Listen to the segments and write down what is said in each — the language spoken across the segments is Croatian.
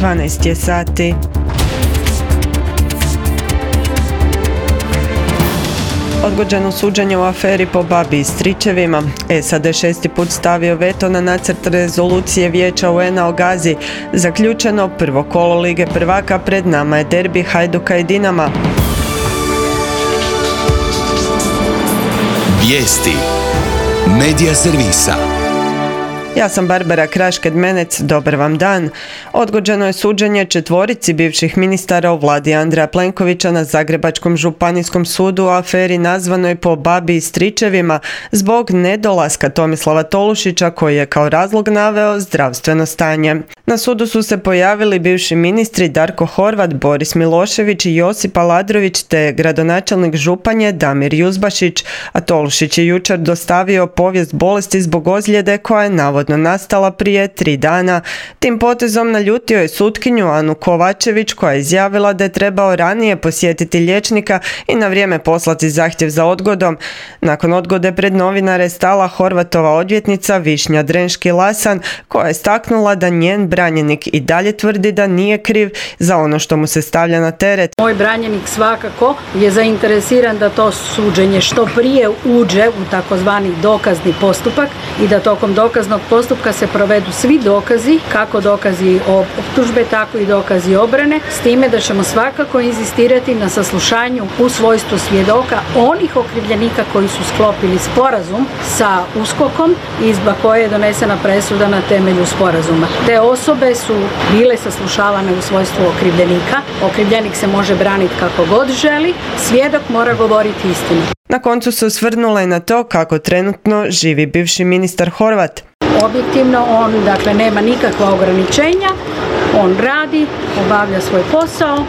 12 je sati. Odgođeno suđenje u aferi po babi i stričevima. SAD 6. put stavio veto na nacrt rezolucije Vijeća UN-a o Gazi. Zaključeno prvo kolo Lige prvaka, pred nama je derbi Hajduka i Dinama. Vijesti Medija servisa. Ja sam Barbara Kraš-Kedmenec, dobar vam dan. Odgođeno je suđenje 4 bivših ministara u vladi Andreja Plenkovića na Zagrebačkom županijskom sudu u aferi nazvanoj po babi i stričevima zbog nedolaska Tomislava Tolušića, koji je kao razlog naveo zdravstveno stanje. Na sudu su se pojavili bivši ministri Darko Horvat, Boris Milošević i Josip Aladrović te gradonačelnik Županje Damir Juzbašić, a Tolušić je jučer dostavio povijest bolesti zbog ozljede koja je navodno nastala prije 3 dana. Tim potezom naljutio je sutkinju Anu Kovačević, koja je izjavila da je trebao ranije posjetiti liječnika i na vrijeme poslati zahtjev za odgodom. Nakon odgode pred novinare je stala Horvatova odvjetnica Višnja Drenški-Lasan, koja je istaknula da njen branjenik i dalje tvrdi da nije kriv za ono što mu se stavlja na teret. Moj branjenik svakako je zainteresiran da to suđenje što prije uđe u takozvani dokazni postupak i da tokom dokaznog postupka se provedu svi dokazi, kako dokazi optužbe, tako i dokazi obrane, s time da ćemo svakako inzistirati na saslušanju u svojstvu svjedoka onih okrivljenika koji su sklopili sporazum sa USKOK-om i zbog koje je donesena presuda na temelju sporazuma. Te osobe su bile saslušavane u svojstvu okrivljenika. Okrivljenik se može braniti kako god želi, svjedok mora govoriti istinu. Na koncu se osvrnula i na to kako trenutno živi bivši ministar Horvat. Objektivno on nema nikakva ograničenja, on radi, obavlja svoj posao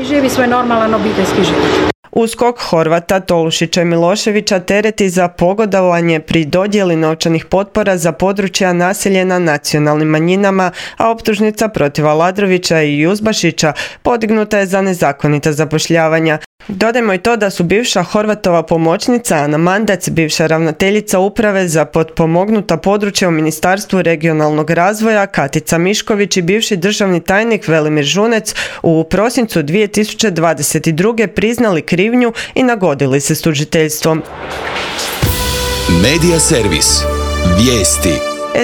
i živi svoj normalan obiteljski život. USKOK Horvata, Tolušića i Miloševića tereti za pogodovanje pri dodjeli novčanih potpora za područja naseljena nacionalnim manjinama, a optužnica protiv Aladrovića i Juzbašića podignuta je za nezakonita zapošljavanja. Dodajmo i to da su bivša Horvatova pomoćnica Ana Mandac, bivša ravnateljica uprave za potpomognuta područja u Ministarstvu regionalnog razvoja Katica Mišković i bivši državni tajnik Velimir Žunec u prosincu 2022. priznali krivnju i nagodili se s tužiteljstvom. Medija servis. Vijesti.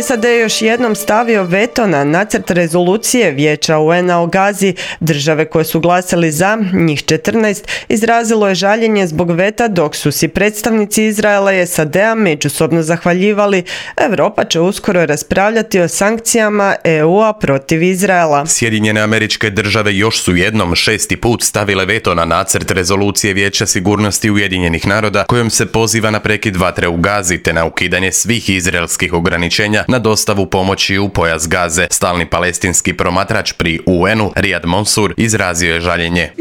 SAD je još jednom stavio veto na nacrt rezolucije Vijeća UN-a o Gazi. Države koje su glasali za, njih 14, izrazilo je žaljenje zbog veta, dok su si predstavnici Izraela i SAD-a međusobno zahvaljivali. Europa će uskoro raspravljati o sankcijama EU-a protiv Izraela. Sjedinjene Američke Države još su jednom 6. put stavile veto na nacrt rezolucije Vijeća sigurnosti Ujedinjenih naroda kojom se poziva na prekid vatre u Gazi te na ukidanje svih izraelskih ograničenja na dostavu pomoći u pojas Gaze. Stalni palestinski promatrač pri UN-u Riyad Mansour izrazio je žaljenje.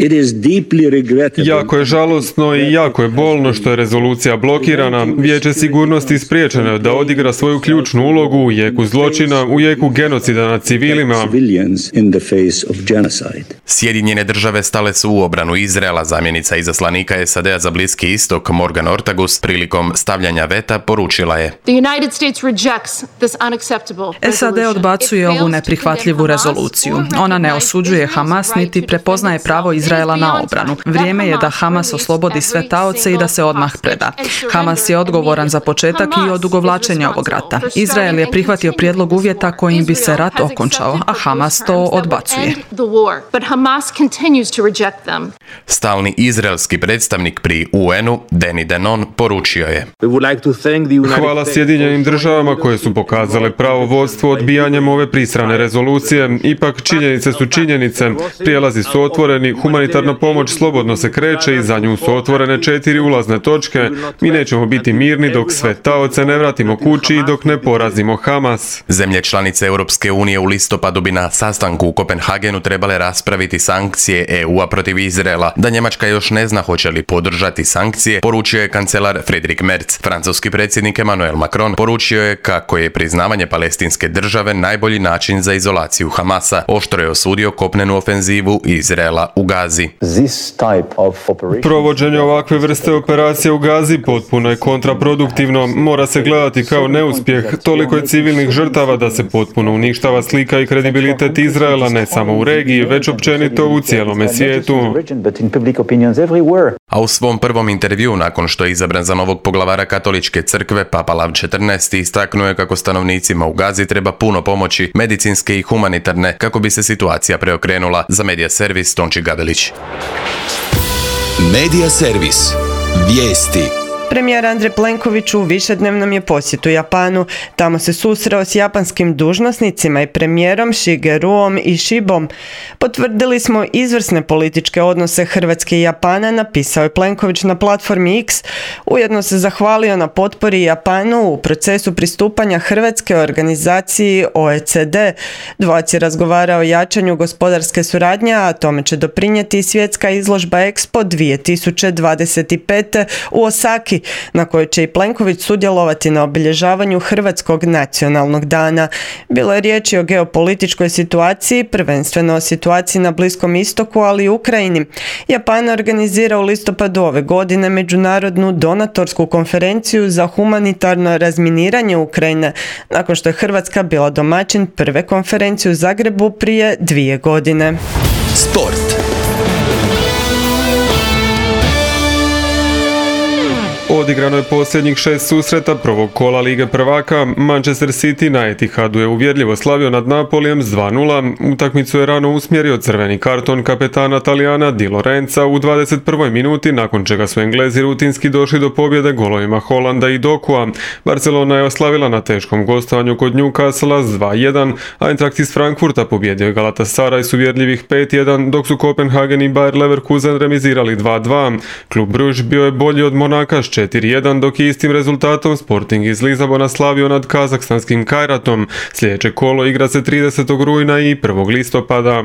Jako je žalosno i jako je bolno što je rezolucija blokirana. Vijeće sigurnosti spriječeno da odigra svoju ključnu ulogu u jeku zločina, u jeku genocida nad civilima. Sjedinjene Države stale su u obranu Izraela. Zamjenica izaslanika SAD-a za Bliski istok Morgan Ortagus prilikom stavljanja veta poručila je: SAD odbacuje ovu neprihvatljivu rezoluciju. Ona ne osuđuje Hamas niti prepoznaje pravo Izraela na obranu. Vrijeme je da Hamas oslobodi sve taoce i da se odmah preda. Hamas je odgovoran za početak i odugovlačenja ovog rata. Izrael je prihvatio prijedlog uvjeta kojim bi se rat okončao, a Hamas to odbacuje. Stalni izraelski predstavnik pri UN-u Danny Danon poručio je: Hvala Sjedinjenim Državama koje su pokazale pravo vodstvo odbijanjem ove prisrane rezolucije. Ipak činjenice su činjenice. Prijelazi su otvoreni, humanitarna pomoć slobodno se kreće i za nju su otvorene 4 ulazne točke. Mi nećemo biti mirni dok sve taoce ne vratimo kući i dok ne porazimo Hamas. Zemlje članice Europske unije u listopadu bi na sastanku u Kopenhagenu trebale raspraviti sankcije EU-a protiv Izraela. Da Njemačka još ne zna hoće li podržati sankcije, poručio je kancelar Friedrich Merz. Francuski predsjednik Emmanuel Macron poručio je kako je pri priznavanje palestinske države najbolji način za izolaciju Hamasa. Oštro je osudio kopnenu ofenzivu Izraela u Gazi. Provođenje ovakve vrste operacije u Gazi potpuno je kontraproduktivno. Mora se gledati kao neuspjeh. Toliko je civilnih žrtava da se potpuno uništava slika i kredibilitet Izraela ne samo u regiji, već općenito u cijelome svijetu. A u svom prvom intervju nakon što je izabran za novog poglavara katoličke crkve, Papa Lav XIV istaknuo je kako stanovnicima u Gazi treba puno pomoći, medicinske i humanitarne, kako bi se situacija preokrenula. Za Medija servis Tonči Gabelić. Medija servis. Vijesti. Premijer Andrej Plenković u višednevnom je posjetu Japanu. Tamo se susreo s japanskim dužnosnicima i premijerom Shigeruom Ishibom. Potvrdili smo izvrsne političke odnose Hrvatske i Japana, napisao je Plenković na platformi X. Ujedno se zahvalio na potpori Japanu u procesu pristupanja Hrvatske organizaciji OECD. Dvojac je razgovarao o jačanju gospodarske suradnje, a tome će doprinijeti i svjetska izložba Expo 2025. u Osaki, na kojoj će i Plenković sudjelovati na obilježavanju Hrvatskog nacionalnog dana. Bilo je riječi o geopolitičkoj situaciji, prvenstveno o situaciji na Bliskom istoku, ali i Ukrajini. Japan organizira u listopadu ove godine međunarodnu donatorsku konferenciju za humanitarno razminiranje Ukrajine, nakon što je Hrvatska bila domaćin prve konferencije u Zagrebu prije 2 godine. Sport. Odigrano je posljednjih 6 susreta prvog kola Lige prvaka. Manchester City na Etihadu je uvjerljivo slavio nad Napolijem s 2:0. Utakmicu je rano usmjerio crveni karton kapetana Talijana Di Lorenza u 21. minuti, nakon čega su Englezi rutinski došli do pobjede golovima Holanda i Dokua. Barcelona je oslavila na teškom gostovanju kod Newcastle s 2:1, a Eintracht iz Frankfurta pobjedio je Galatasaray s uvjerljivih 5:1, dok su Kopenhagen i Bayer Leverkusen remizirali 2:2. Klub Bruges bio je bolji od Monaka s 4:1, dok je istim rezultatom Sporting iz Lizabona slavio nad kazahstanskim Kajratom. Sljedeće kolo igra se 30. rujna i 1. listopada.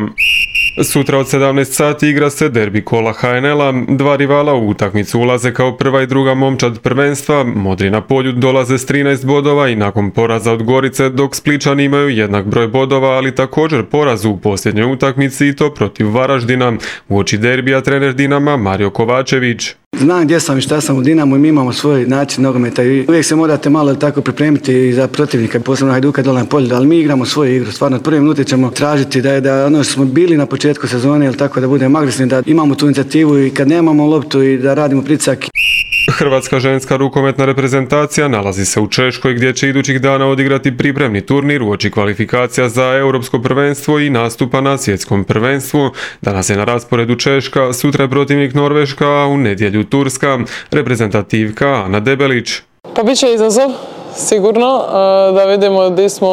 Sutra od 17 sati igra se derbi kola HNL-a. Dva rivala u utakmicu ulaze kao prva i druga momčad prvenstva. Modri na polju dolaze s 13 bodova i nakon poraza od Gorice, dok Spličani imaju jednak broj bodova, ali također poraz u posljednjoj utakmici i to protiv Varaždina. Uoči derbija trener Dinama Mario Kovačević. Znam gdje sam i šta sam u Dinamu i mi imamo svoj način nogometa i uvijek se morate malo tako pripremiti za protivnika, posebno Hajduka dole na polju, ali mi igramo svoju igru. Stvarno od prve minute ćemo tražiti da ono što smo bili na početku sezone, ili tako da budemo agresivni, da imamo tu inicijativu i kad nemamo loptu i da radimo pritisak. Hrvatska ženska rukometna reprezentacija nalazi se u Češkoj, gdje će idućih dana odigrati pripremni turnir uoči kvalifikacija za europsko prvenstvo i nastupa na svjetskom prvenstvu. Danas je na rasporedu Češka, sutra je protivnik Norveška, a u nedjelju Turska. Reprezentativka Ana Debelić. Pa bit će izazov, sigurno, da vidimo gdje smo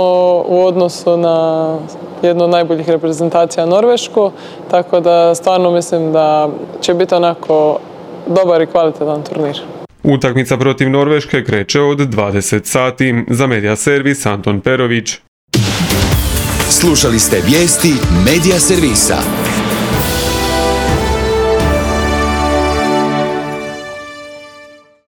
u odnosu na jednu od najboljih reprezentacija Norvešku, tako da stvarno mislim da će biti onako dobar i kvalitetan turnir. Utakmica protiv Norveške kreće od 20 sati. Za Medija servis Anton Perović. Slušali ste vijesti Medija servisa.